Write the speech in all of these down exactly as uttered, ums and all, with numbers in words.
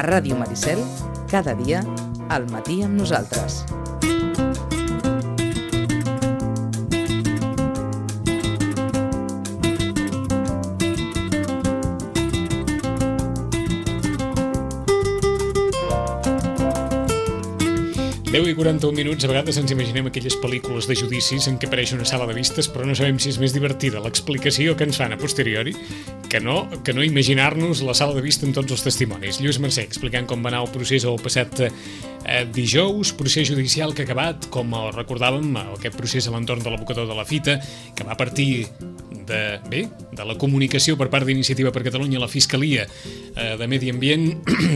Ràdio Maricel, cada dia, al matí amb nosaltres. deu i quaranta-un minuts, a vegades ens imaginem aquelles pel·lícules de judicis en què apareix una sala de vistes, però no sabem si és més divertida l'explicació que ens fan a posteriori que no, que no imaginar-nos la sala de vista amb tots els testimonis. Lluís Mercè explicant com va anar el procés el passat eh, dijous, procés judicial que ha acabat, com recordàvem, aquest procés a l'entorn de l'abocador de la fita, que va partir de, bé, de la comunicació per part d'Iniciativa per Catalunya a la Fiscalia eh, de Medi Ambient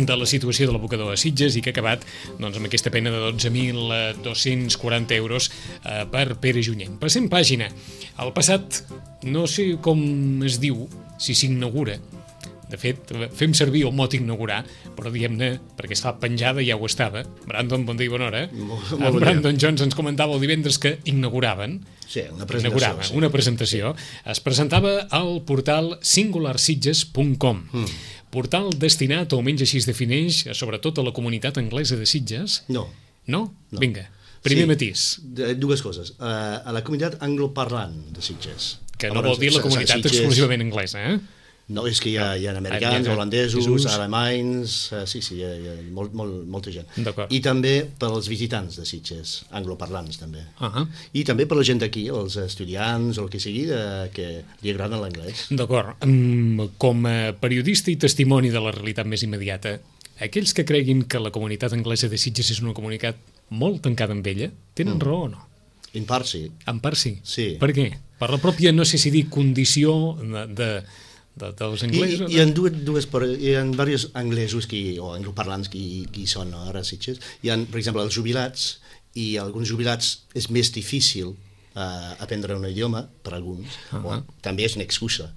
de la situació de l'abocador a Sitges i que ha acabat doncs, amb aquesta pena de dotze mil dos-cents quaranta euros eh, per Pere Junyent. Passem pàgina. El passat, no sé com es diu, si s'inaugura. De fet, fem servir el mot inaugurar, però diguem-ne, perquè es fa penjada ja ho estava. Brandon, bon dia i bona hora. Molt, molt bon Brandon dia. Jones ens comentava el divendres que inauguraven. Sí, una presentació. Inauguraven, sí. una presentació. Es presentava al portal singular sitges punt com. Mm. Portal destinat, o almenys així es defineix, sobretot a la comunitat anglesa de Sitges. No. No? No. Vinga, primer sí, matís. Dues coses. Uh, a la comunitat angloparlant de Sitges. Que no vol dir la comunitat Sitges, exclusivament anglesa, eh? No, és que hi ha, hi ha americans, Ah, holandesos, Jesús. alemanys... Uh, sí, sí, hi ha, hi ha molt, molt, molta gent. D'acord. I també pels visitants de Sitges, angloparlants també. Uh -huh. I també per la gent d'aquí, els estudiants o el que sigui, uh, que li agrada l'anglès. D'acord. Um, com a periodista i testimoni de la realitat més immediata, aquells que creguin que la comunitat anglesa de Sitges és una comunitat molt tancada amb ella, tenen mm. raó o no? En part sí. En part sí. Sí. Per què? Per la pròpia, no sé si dir, condició de, de, de, dels anglesos? I, i hi ha dues, dues, hi ha diversos anglesos que, o angloparlants que, que hi són no, ara a Sitges. Hi ha, per exemple, els jubilats, i alguns jubilats és més difícil uh, aprendre un idioma, per alguns, uh -huh. o, també és una excusa.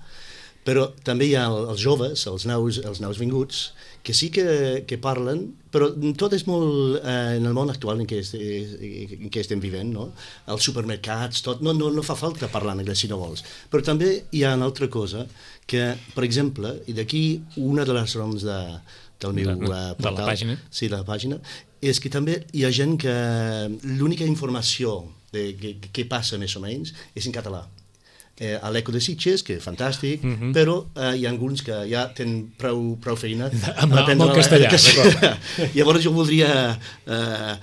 Però també hi ha els joves, els nous, els nous vinguts, que sí que, que parlen, però tot és molt eh, en el món actual en què, est, en què estem vivint, no? Els supermercats, tot, no, no, no fa falta parlar en anglès si no vols. Però també hi ha una altra cosa, que, per exemple, i d'aquí una de les raons de, del meu de, uh, portal, de la pàgina. Sí, de la pàgina, és que també hi ha gent que l'única informació de què, què passa més o menys és en català. Eh, a l'Eco de Sitges, que és fantàstic, uh -huh. però eh, hi ha alguns que ja tenen prou, prou feina amb, amb el castellà. castellà. Llavors jo voldria eh,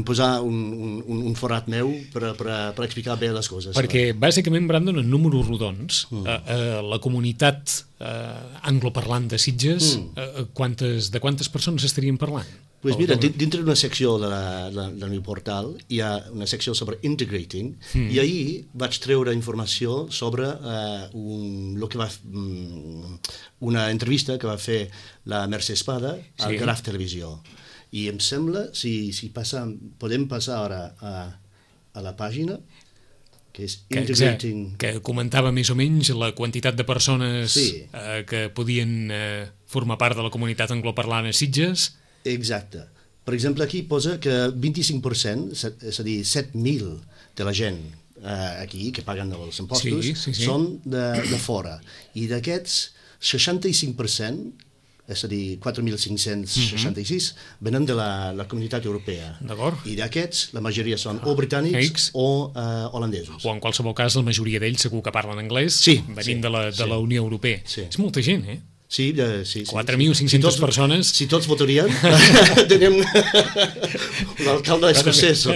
posar un, un, un forat meu per, per, per explicar bé les coses. Perquè, bàsicament, Brandon, en números rodons, mm. eh, eh, la comunitat eh, angloparlant de Sitges, mm. eh, quantes, de quantes persones estarien parlant? Pues mira, dintre d'una secció de la, de, del meu portal hi ha una secció sobre integrating mm. i ahir vaig treure informació sobre uh, un, lo que va, um, una entrevista que va fer la Mercè Espada al sí. Graf Televisió. I em sembla, si, si passa, podem passar ara a, a la pàgina, que és integrating... Que, que comentava més o menys la quantitat de persones sí. eh, que podien eh, formar part de la comunitat angloparlant a Sitges. Exacte. Per exemple, aquí posa que vint-i-cinc per cent, és a dir, set mil de la gent eh, aquí, que paguen els impostos, sí, sí, sí. són de, de fora. I d'aquests, seixanta-cinc per cent, és a dir, quatre mil cinc-cents seixanta-sis, uh-huh. venen de la, la comunitat europea. D'acord. I d'aquests, la majoria són o britànics X. o uh, holandesos. O en qualsevol cas, la majoria d'ells segur que parlen anglès, sí, venint sí, de, la, de sí. la Unió Europea. Sí. És molta gent, eh? Sí, eh, sí, sí. quatre mil cinc-centes si persones... Si tots votarien, tenim l'alcalde escocès.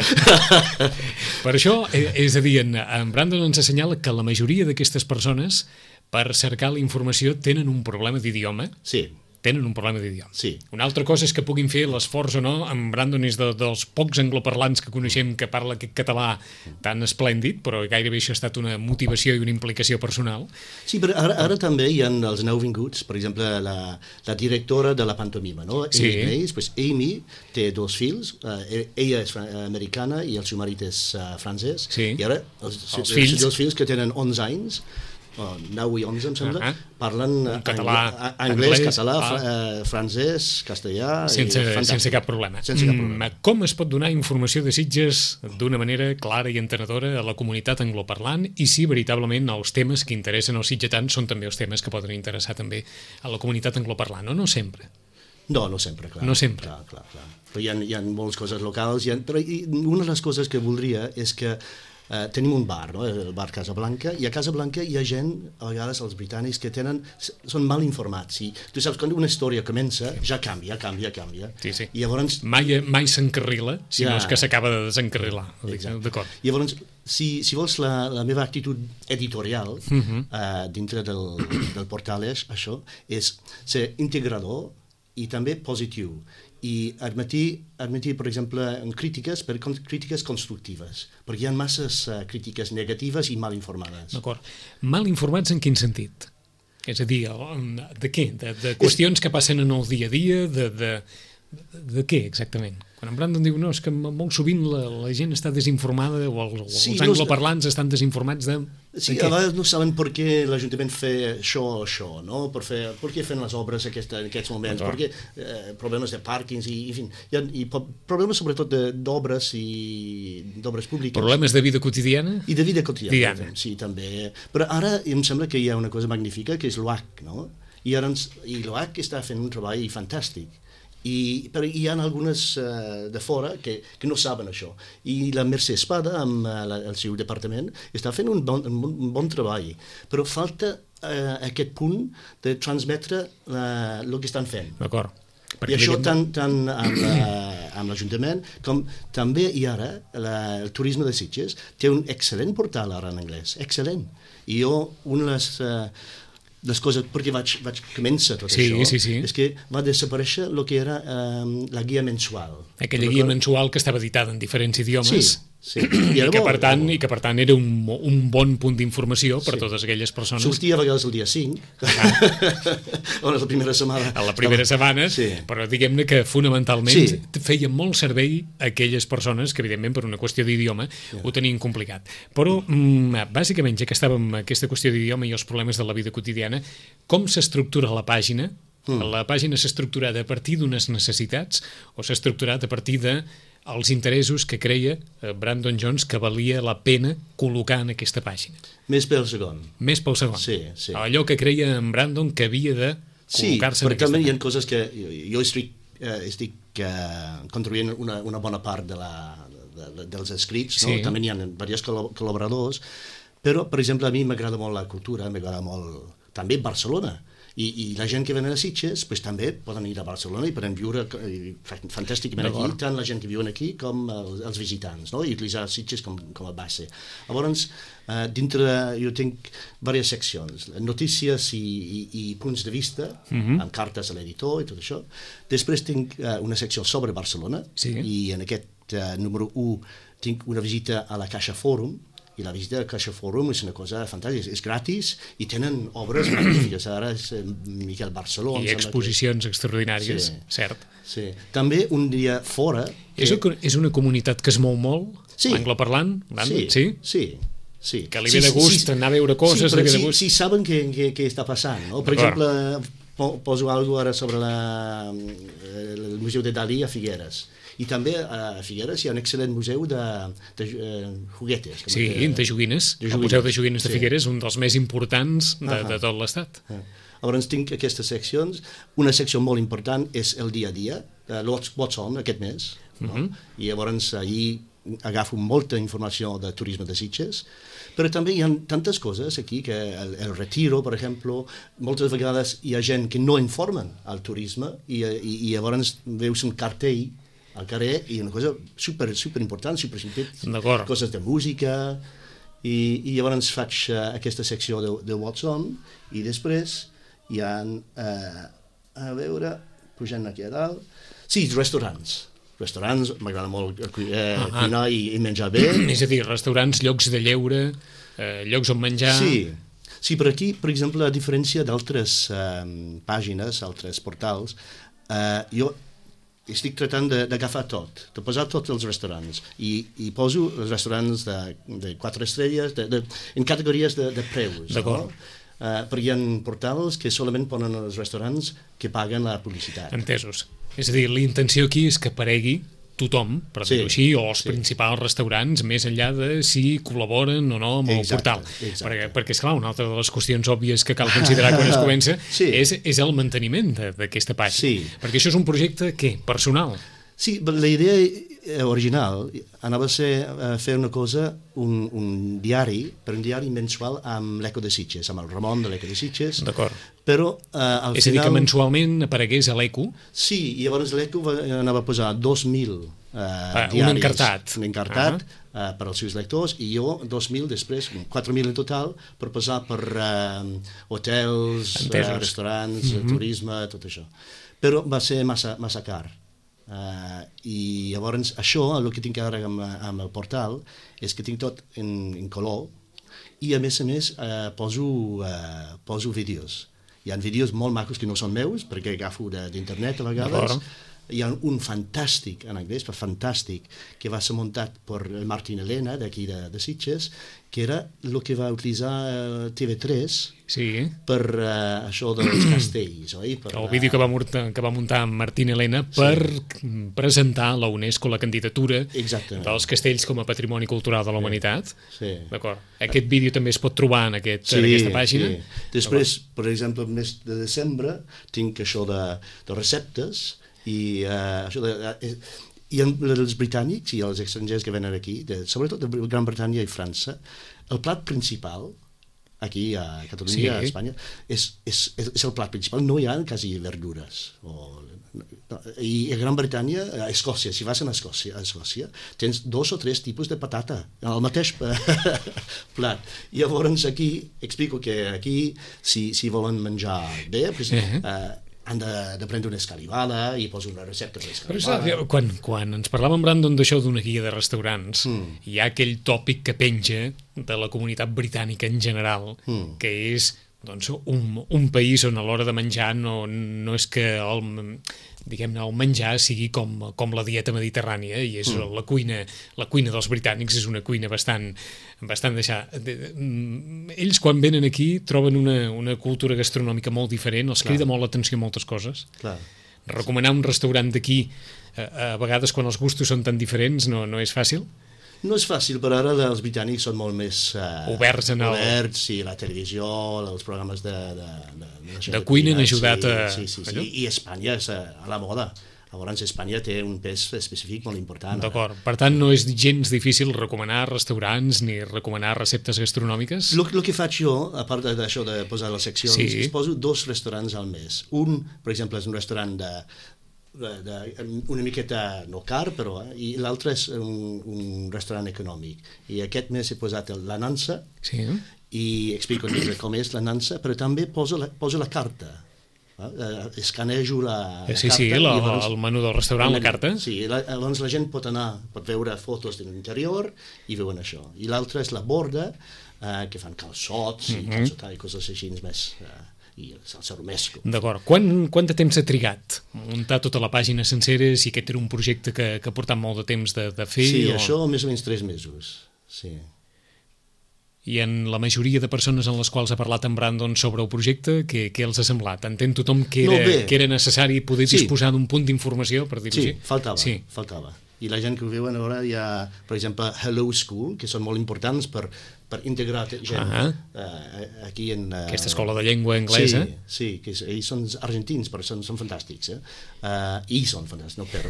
Per això, és a dir, en, en Brandon ens assenyala que la majoria d'aquestes persones, per cercar la informació, tenen un problema d'idioma. Sí. Tenen un problema d'idioma. Sí. Una altra cosa és que puguin fer l'esforç o no. En Brandon és de, dels pocs angloparlants que coneixem que parla aquest català tan esplèndid, però gairebé això ha estat una motivació i una implicació personal. Sí, però ara, ara també hi ha els nouvinguts, per exemple, la, la directora de la pantomima, no? Sí. Amy Mays, pues Amy té dos fills, uh, ella és americana i el seu marit és uh, francès, sí. i ara els, els, els fills. els fills que tenen onze anys, oh, nou i onze, em sembla, uh -huh. parlen català, anglès, anglès, català, ah. fr francès, castellà... Sense, sense cap problema. Sense cap problema. Mm, com es pot donar informació de Sitges d'una manera clara i entenedora a la comunitat angloparlant i si veritablement els temes que interessen als sitgetans són també els temes que poden interessar també a la comunitat angloparlant, o no sempre? No, no sempre, clar. No sempre. Clar, clar, clar. Però hi ha, hi ha moltes coses locals, hi ha, però hi, una de les coses que voldria és que eh, tenim un bar, no? El bar Casablanca, i a Casablanca hi ha gent, a vegades els britànics, que tenen, són mal informats, i tu saps, quan una història comença, ja canvia, canvia, canvia. Sí, sí. I llavors... Mai, mai s'encarrila, si Ja. no és que s'acaba de desencarrilar. Exacte. D'acord. I llavors, si, si vols la, la meva actitud editorial uh -huh. uh, dintre del, del portal és això, és ser integrador i també positiu, i admetir, admetir per exemple, crítiques, per crítiques constructives, perquè hi ha masses uh, crítiques negatives i mal informades. D'acord. Mal informats en quin sentit? És a dir, de què? De, de qüestions que passen en el dia a dia, de, de, de què exactament? Quan en Brandon diu, no, és que molt sovint la, la gent està desinformada, o els, o Sí, els no, angloparlants estan desinformats de... Sí, de què? a vegades no saben per què l'Ajuntament fa això o això, no? Per, fer, per què fan les obres aquesta, en aquests moments, per què eh, problemes de pàrquings, i, en fi, hi ha, i problemes sobretot d'obres i d'obres públiques. Problemes de vida quotidiana? I de vida quotidiana, Diana. sí, també. Però ara em sembla que hi ha una cosa magnífica, que és l'O H C, no? I, ara ens, i l'O H C està fent un treball fantàstic. I, però hi ha algunes uh, de fora que, que no saben això. I la Mercè Espada, amb uh, la, el seu departament, està fent un bon, un bon, un bon treball. Però falta uh, aquest punt de transmetre uh, el que estan fent. D'acord. I això tant, tant amb, la, amb l'Ajuntament com també, i ara, la, el turisme de Sitges té un excel·lent portal ara en anglès, excel·lent. I jo, una de les... Uh, les coses, perquè vaig, vaig començar tot sí, això, sí, sí. és que va desaparèixer el que era um, la guia mensual. Aquella guia mensual que estava editada en diferents idiomes. Sí, sí. I, I que, bo, per tant, i que per tant era un, un bon punt d'informació per sí. totes aquelles persones. Sortia a vegades el dia cinc, ah. o la primera setmana. A la primera setmana, sí. Però diguem-ne que fonamentalment sí. feia molt servei a aquelles persones que, evidentment, per una qüestió d'idioma, yeah. ho tenien complicat. Però, mm, bàsicament, ja que estàvem en aquesta qüestió d'idioma i els problemes de la vida quotidiana, com s'estructura la pàgina? Mm. La pàgina s'ha estructurat a partir d'unes necessitats o s'ha estructurat a partir de els interessos que creia Brandon Jones que valia la pena col·locar en aquesta pàgina? Més pel segon. Més pel segon. Sí, sí. Allò que creia en Brandon que havia de col·locar-se sí, en aquesta també pàgina. Hi ha coses que jo, jo estic, uh, estic uh, contribuint una, una bona part de la, de, de, dels escrits, no? Sí. També hi ha diversos col·laboradors, però, per exemple, a mi m'agrada molt la cultura, m'agrada molt també Barcelona. I, i la gent que venen a Sitges pues, també poden ir a Barcelona i poden viure fantàsticament aquí, tant la gent que viuen aquí com els, els visitants, no? I utilitzar Sitges com, com a base. Llavors, uh, dintre jo tinc diverses seccions, notícies i, i, i punts de vista, uh-huh. amb cartes a l'editor i tot això. Després tinc uh, una secció sobre Barcelona, sí. I en aquest uh, número u tinc una visita a la Caixa Fòrum, i la visita al Caixa Fòrum és una cosa fantàstica, és gratis i tenen obres magnífiques, ara és Miquel Barceló. I exposicions que... extraordinàries, sí. Cert. Sí. També un dia fora... Que... És, una, és una comunitat que es mou molt, sí. Angloparlant? Sí, sí, sí. Sí. Que li ve de gust sí, anar a veure coses, sí, li ve de sí, gust. Sí, saben què, què, què està passant, no? Per exemple, poso alguna cosa ara sobre la, el Museu de Dalí a Figueres. I també a Figueres hi ha un excel·lent museu de, de uh, juguetes. Sí, de, de joguines. de joguines. El Museu de Joguines de Figueres és sí. un dels més importants de, uh -huh. de tot l'Estat. Uh -huh. Llavors tinc aquestes seccions. Una secció molt important és el dia a dia, uh, What's On, aquest mes. Uh -huh. no? I llavors ahir agafo molta informació de turisme de Sitges, però també hi ha tantes coses aquí, que el, el Retiro, per exemple, moltes vegades hi ha gent que no informen al turisme i, i, i llavors veus un cartell al carrer i una cosa super, super important, super simple, coses de música, i, i llavors faig uh, aquesta secció de, de What's On, i després hi ha, uh, a veure, pujant aquí a dalt, sí, restaurants. Restaurants, m'agrada molt eh, cuinar i, i menjar bé. És a dir, restaurants, llocs de lleure, eh, llocs on menjar... Sí, sí, per aquí, per exemple, a diferència d'altres eh, pàgines, altres portals, eh, jo estic tratant d'agafar tot, de posar tots els restaurants, i, i poso els restaurants de, de quatre estrelles, de, de, en categories de, de preus. D'acord. No? Uh, perquè hi ha portals que solament ponen els restaurants que paguen la publicitat. Entesos. És a dir, la intenció aquí és que aparegui tothom, per Sí, dir-ho així, o els sí. principals restaurants, més enllà de si col·laboren o no amb el Exacte, portal. exacte. Perquè, perquè, esclar, una altra de les qüestions òbvies que cal considerar quan es comença Sí. és, és el manteniment de- d'aquesta pàgina. Sí. Perquè això és un projecte, què? Personal. Sí, però la idea eh, original anava a ser eh, fer una cosa, un, un diari, per un diari mensual amb l'Eco de Sitges, amb el Ramon de l'Eco de Sitges. D'acord. Però eh, al És a dir, final... que mensualment aparegués a l'Eco. Sí, i llavors l'Eco va- anava a posar dos mil eh, Ah, un diaris. encartat. Un encartat eh, per als seus lectors, i jo dos mil després, quatre mil en total, per posar per eh, hotels, eh, Entesos. restaurants, mm -hmm. turisme, tot això. Però va ser massa, massa car. Uh, i llavors això, el que tinc ara amb, amb el portal és que tinc tot en, en color i a més a més uh, poso, uh, poso vídeos. Hi ha vídeos molt macos que no són meus perquè agafo de- d'internet a vegades. Hi ha un fantàstic en anglès, però fantàstic, que va ser muntat per el Martín Elena d'aquí de, de Sitges, que era el que va utilitzar uh, T V tres Sí. per uh, això dels castells, oi? Per, El vídeo que va, muntar, que va muntar amb Martín Elena per sí. presentar a la UNESCO la candidatura Exactament. dels castells com a patrimoni cultural de la humanitat. Sí. D'acord. Aquest vídeo també es pot trobar en, aquest, en aquesta pàgina. Sí. Després, per exemple, el mes de desembre tinc això de, de receptes i uh, això de... Uh, i els britànics i els estrangers que venen aquí, de, sobretot de Gran Bretanya i França, el plat principal aquí a Catalunya, Sí. a Espanya, és, és, és, és el plat principal, no hi ha quasi verdures. O, no, I a Gran Bretanya, a Escòcia, si vas a Escòcia, a Escòcia, tens dos o tres tipus de patata, el mateix plat. I llavors aquí, explico que aquí, si, si volen menjar bé, pues, Uh-huh. eh, han de, de prendre una escalivada i poso una recepta per Però escalivada. saps, quan, quan ens parlàvem, Brandon, d'això d'una guia de restaurants, Mm. hi ha aquell tòpic que penja de la comunitat britànica en general, Mm. que és doncs, un, un país on a l'hora de menjar no, no és que el, diguem-ne, el menjar sigui com, com la dieta mediterrània, i és mm. la cuina la cuina dels britànics és una cuina bastant, bastant deixar... De, de, ells, quan venen aquí, troben una, una cultura gastronòmica molt diferent, els Clar. crida molt l'atenció moltes coses. Clar. Recomanar un restaurant d'aquí, a, a vegades quan els gustos són tan diferents, no, no és fàcil. No és fàcil, però ara els britànics són molt més... Uh, Oberts en el- Oberts, sí, la televisió, els programes de... De, de, de, De cuina han sí, ajudat a- Sí, sí, sí, allò? I Espanya és a, a la moda. Llavors Espanya té un pes específic molt important. D'acord. Per tant, no és gens difícil recomanar restaurants ni recomanar receptes gastronòmiques? El que faig jo, a part d'això de posar les seccions, Sí. és poso dos restaurants al mes. Un, per exemple, és un restaurant de, de, de una miqueta no car, però, eh? I l'altre és un, un restaurant econòmic. I aquest mes he posat el- la nansa, Sí. i explico una mica com és la nansa, però també poso la, poso la carta. Eh, escanejo la, la Sí, carta. sí, i la, llavors- el menú del restaurant, la carta. Sí, la, llavors la gent pot anar, pot veure fotos de l'interior i veuen això. I l'altre és la borda, eh, que fan calçots Mhm. i calçotar i coses així més... Eh, i salsa romesco. D'acord. Quan, quant de temps ha trigat muntar tota la pàgina sencera, si aquest era un projecte que, que ha portat molt de temps de, de fer? Sí, o... això més o menys tres mesos. Sí. I en la majoria de persones en les quals ha parlat en Brandon sobre el projecte, què, què els ha semblat? Entén tothom que era, No, bé. que era necessari poder Sí. disposar d'un punt d'informació, per dir-ho Sí, així? faltava, Sí. faltava. I la gent que ho veuen ara hi ha, per exemple, Hello School, que són molt importants per, per integrar gent Ah. uh, aquí en... Uh, Aquesta escola de llengua anglesa. Sí, sí, que és, ells són argentins, però són, són fantàstics. Eh? Uh, I són fantàstics, no però.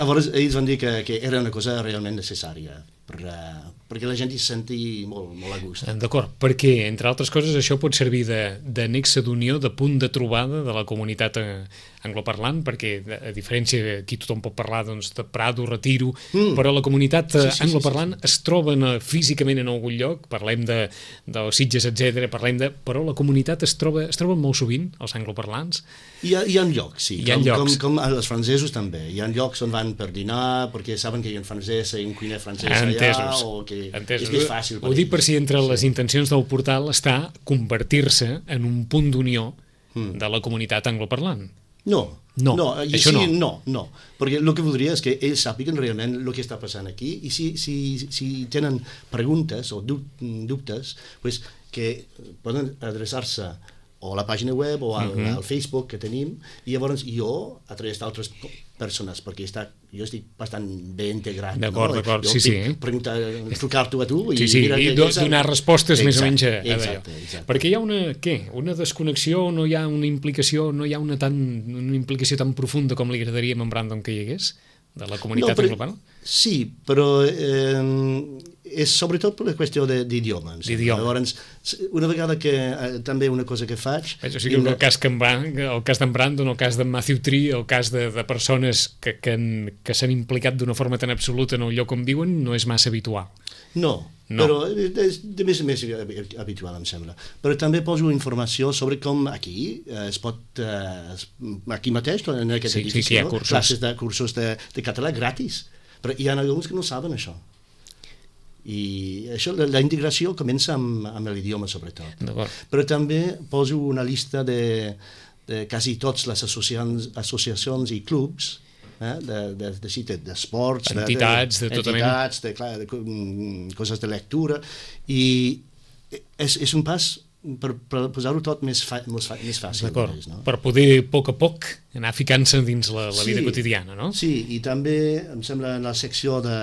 Llavors, ells van dir que, que era una cosa realment necessària per, uh, perquè la gent hi senti molt, molt a gust. D'acord, perquè, entre altres coses, això pot servir de, de nexe d'unió, de punt de trobada de la comunitat eh, angloparlant, perquè, a diferència, aquí tothom pot parlar doncs, de Prado, Retiro, mm. però la comunitat eh, Sí, sí, sí, angloparlant sí, sí. es troba en, físicament en algun lloc, parlem de, de Sitges, etcètera, parlem de... però la comunitat es troba, es troba molt sovint, els angloparlants. Hi ha, hi ha llocs, sí. Hi ha com, llocs. Com, com els francesos també. Hi ha llocs on van per dinar perquè saben que hi ha un francès i un cuiner francès Entesos. allà, o que Entesos. és més fàcil. Ho dic per ells. si entre les intencions del portal està convertir-se en un punt d'unió Mm. de la comunitat angloparlant. No, No, no, i això sí, no. no, no, perquè el que voldria és que ells sàpiguen realment el que està passant aquí i si, si, si tenen preguntes o dub- dubtes, pues, que poden adreçar-se o a la pàgina web o al, uh-huh. al Facebook que tenim, i llavors jo, a través d'altres persones, perquè està, jo estic bastant bé integrat. D'acord, no? d'acord, jo sí, sí. Preguntar, trucar-t'ho a tu i sí, sí, mira i que, do, que donar respostes exacte, més o menys a, a exacte, exacte. Perquè hi ha una, què? Una desconnexió, no hi ha una implicació, no hi ha una, tan, una implicació tan profunda com li agradaria a en Brandon que hi hagués, de la comunitat no, però, global? Sí, però eh, és sobretot per la qüestió d'idiomes. Llavors, una vegada que eh, també una cosa que faig... Veig, o sigui, el, cas que en, el cas d'en Brandon, el cas d'en Matthew Tree, el cas de, de persones que, que, que s'han implicat d'una forma tan absoluta en el lloc on viuen, no és massa habitual. No, no. però és de més en més habitual, em sembla. Però també poso informació sobre com aquí eh, es pot, eh, aquí mateix, en aquest sí, edifici, sí, sí, hi ha cursos. classes de, cursos de, de català gratis. Però hi ha alguns que no saben això. I això, la, la integració comença amb, amb l'idioma, sobretot. Però també poso una llista de, de quasi totes les associacions, associacions i clubs eh, de, de, de, d'esports, entitats, de, de, de, tota entitats, de, clar, de, de coses de lectura, i és, és un pas per, per posar-ho tot més, fa, més, fa, més fàcil. D'acord, no? Per poder, a poc a poc, anar ficant-se dins la, la vida sí, quotidiana, no? Sí, i també, em sembla, en la secció de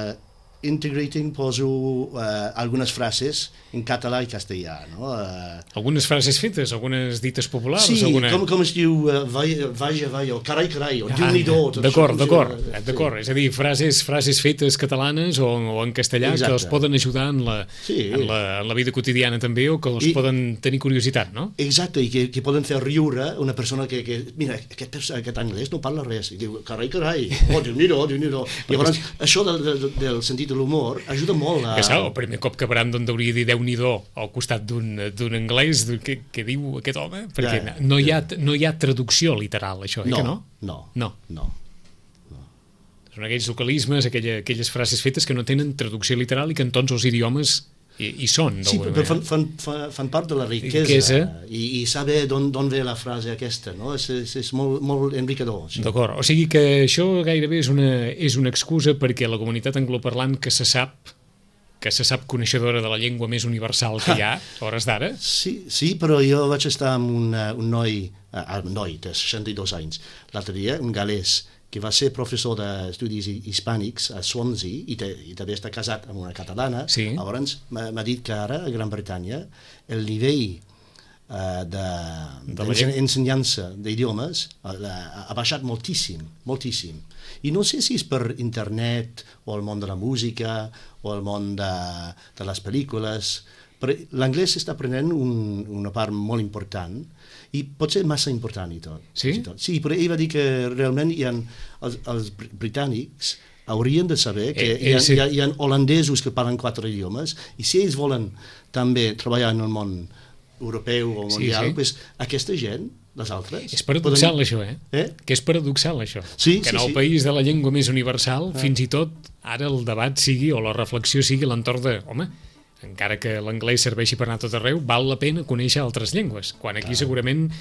integrating poso uh, algunes frases en català i castellà, no? Uh, algunes frases fetes, algunes dites populars? Sí, alguna... com, com es diu uh, vaja, vaja, vaja, o carai, carai, o ah, Déu-n'hi-do. D'acord, d'acord, d'acord. Sí. És a dir, frases, frases fetes catalanes o, o en castellà exacte. Que els poden ajudar en la, sí. en, la, en la vida quotidiana també, o que els I, poden tenir curiositat, no? Exacte, i que, que poden fer riure una persona que, que mira, aquest, aquest anglès no parla res, i diu, carai, carai, oh, Déu-n'hi-do, Déu-n'hi-do. Llavors, això del, del, del sentit de l'humor ajuda molt a... Que sap, el primer cop que Brandon hauria de dir Déu-n'hi-do al costat d'un anglès que, que diu aquest home, perquè ja, no, hi ha, no hi ha traducció literal, això, eh, no, que no? No, no. no. no. Són aquells localismes, aquella, aquelles frases fetes que no tenen traducció literal i que en tots els idiomes hi, hi són. Sí, però fan, fan, fan part de la riquesa, riquesa. I, i saber d'on ve la frase aquesta, no? És, és, és molt, molt enriquidor. Sí. D'acord, o sigui que això gairebé és una, és una excusa perquè la comunitat angloparlant que se sap que se sap coneixedora de la llengua més universal que hi ha, a hores d'ara? Sí, sí, però jo vaig estar amb un, un noi, uh, un noi de seixanta-dos anys, l'altre dia, un galès, que va ser professor d'estudis hispànics a Swansea i, te, i també està casat amb una catalana. Sí. Llavors m'ha dit que ara a Gran Bretanya el nivell uh, d'ensenyança de, d'idiomes uh, ha baixat moltíssim, moltíssim. I no sé si és per internet o el món de la música o el món de, de les pel·lícules, però l'anglès està prenent un, una part molt important i pot ser massa important i tot. Sí? I tot. Sí, però ell va dir que realment hi ha, els, els britànics haurien de saber que eh, hi, ha, sí. hi, ha, hi ha holandesos que parlen quatre idiomes i si ells volen també treballar en el món europeu o mundial, sí, sí. Pues, aquesta gent, les altres... És paradoxal poden... això, eh? eh? Que és paradoxal això. Sí, que sí, en el sí. país de la llengua més universal, ah. fins i tot ara el debat sigui o la reflexió sigui a l'entorn de... Home, encara que l'anglès serveixi per anar a tot arreu, val la pena conèixer altres llengües, quan aquí ah. segurament eh,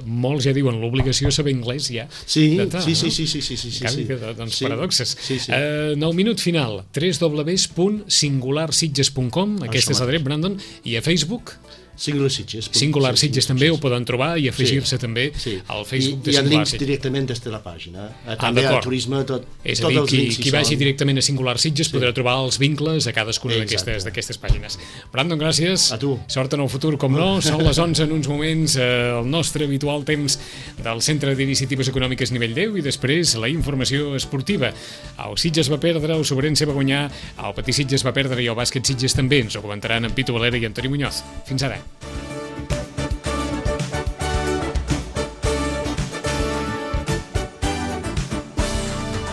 molts ja diuen l'obligació saber anglès ja. Sí, sí, sí, sí, sí, sí, sí, sí, sí. Que, doncs sí. paradoxes. Sí, sí. Eh, en el minut final, w w w punt singular sitges punt com, aquesta és l'adreça, Brandon, i a Facebook... Singular Sitges. Singular Sitges també ho poden trobar i afegir-se sí, també sí. al Facebook I, de Singular Sitges. Hi ha links directament des de la pàgina. També ah, al turisme, tot, és a dir, qui, qui vagi són... directament a Singular Sitges sí. podrà trobar els vincles a cadascuna d'aquestes d'aquestes pàgines. Brandon, gràcies. A tu. Sort en el futur, com no. Són les onze en uns moments, eh, el nostre habitual temps del Centre d'Iniciatives Econòmiques Nivell deu i després la informació esportiva. El Sitges va perdre, el Sobrense va guanyar, el Patí Sitges va perdre i el Bàsquet Sitges també. Ens ho comentaran en Pitu Valera i Antoni Muñoz. Fins ara.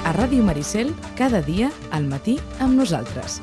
A Ràdio Maricel, cada dia al matí amb nosaltres.